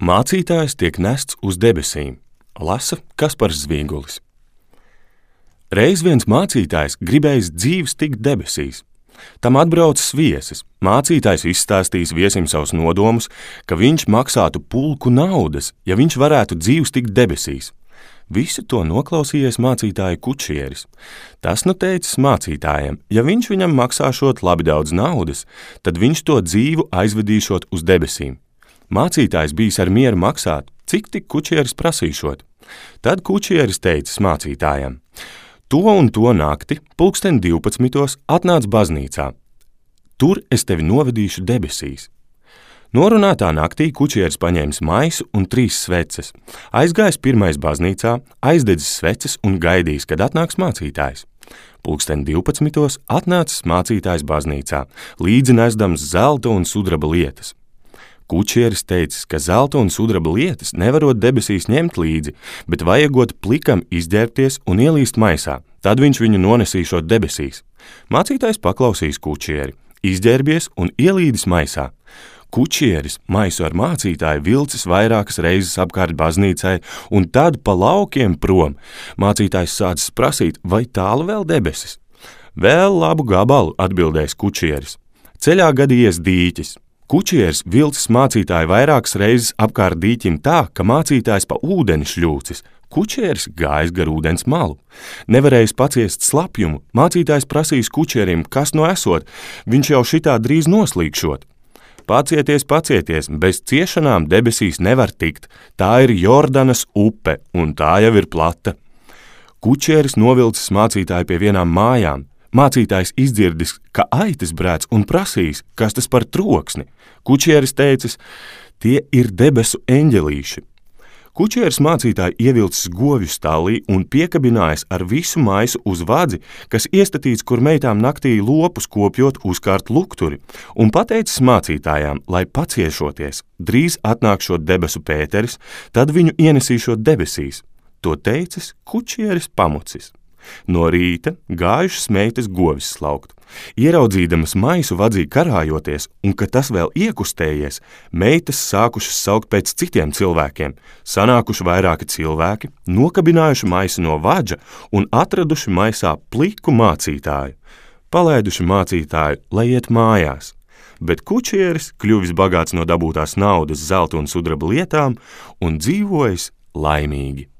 Mācītājs tiek nests uz debesīm, lasa Kaspars Zvīgulis. Reiz viens mācītājs gribējis dzīves tikt debesīs. Tam atbraucis viesis. Mācītājs izstāstījis viesim savus nodomus, ka viņš maksātu pulku naudas, ja viņš varētu dzīves tikt debesīs. Visu to noklausījies mācītāja kučieris. Tas nu teicis mācītājiem, ja viņš viņam maksāšot labi daudz naudas, tad viņš to dzīvu aizvedīšot uz debesīm. Mācītājs bijis ar mieru maksāt, cik tik kučieris prasīšot. Tad kučieris teicis mācītājam: to un to nakti, 12:00 atnāc baznīcā. Tur es tevi novedīšu debesīs. Norunātā naktī kučieris paņēmis maisu un 3 sveces, aizgājis pirmais baznīcā, aizdedzis sveces un gaidījis, kad atnāks mācītājs. 12:00 atnācis mācītājs baznīcā, līdzi nesdams zelta un sudraba lietas. Kučieris teicis, ka zelta un sudraba lietas nevarot debesīs ņemt līdzi, bet vajagot plikam izģērbties un ielīst maisā, tad viņš viņu nonesīšot debesīs. Mācītājs paklausīs kučieri, izģērbies un ielīdis maisā. Kučieris maisu ar mācītāju vilcis vairākas reizes apkārt baznīcai, un tad pa laukiem prom. Mācītājs sācis prasīt, vai tālu vēl debesis. Vēl labu gabalu, atbildēs kučieris. Ceļā gadījies dīķis. Kučieris vilcis mācītāju vairākas reizes apkārt dīķim tā, ka mācītājs pa ūdeni šļūcis. Kučieris gājis gar ūdens malu. Nevarējis paciest slapjumu, mācītājs prasīs kučierim, kas no esot, viņš jau šitā drīz noslīkšot. Pacieties, bez ciešanām debesīs nevar tikt, tā ir Jordanas upe, un tā jau ir plata. Kučieris novilcis mācītāju pie vienām mājām. Mācītājs izdzirdis, ka aitas brēc un prasīs, kas tas par troksni. Kučieris teicis, tie ir debesu eņģelīši. Kučieris mācītāju ievilcis govju stallī un piekabinājis ar visu maisu uz vadzi, kas iestatīts, kur meitām naktī lopus kopjot uzkārt lukturi, un pateicis mācītājām, lai paciešoties, drīz atnākšot debesu Pēteris, tad viņu ienesīšot debesīs. To teicis kučieris pamucis. No rīta gājušas meitas govis slaukt. Ieraudzīdamas maisu vadzī karājoties, un ka tas vēl iekustējies, meitas sākušas saukt pēc citiem cilvēkiem, sanākuši vairāki cilvēki, nokabinājuši maisu no vadža un atraduši maisā pliku mācītāju. Palaiduši mācītāju, lai iet mājās. Bet kučieris kļuvis bagāts no dabūtās naudas, zelta un sudraba lietām un dzīvojis laimīgi.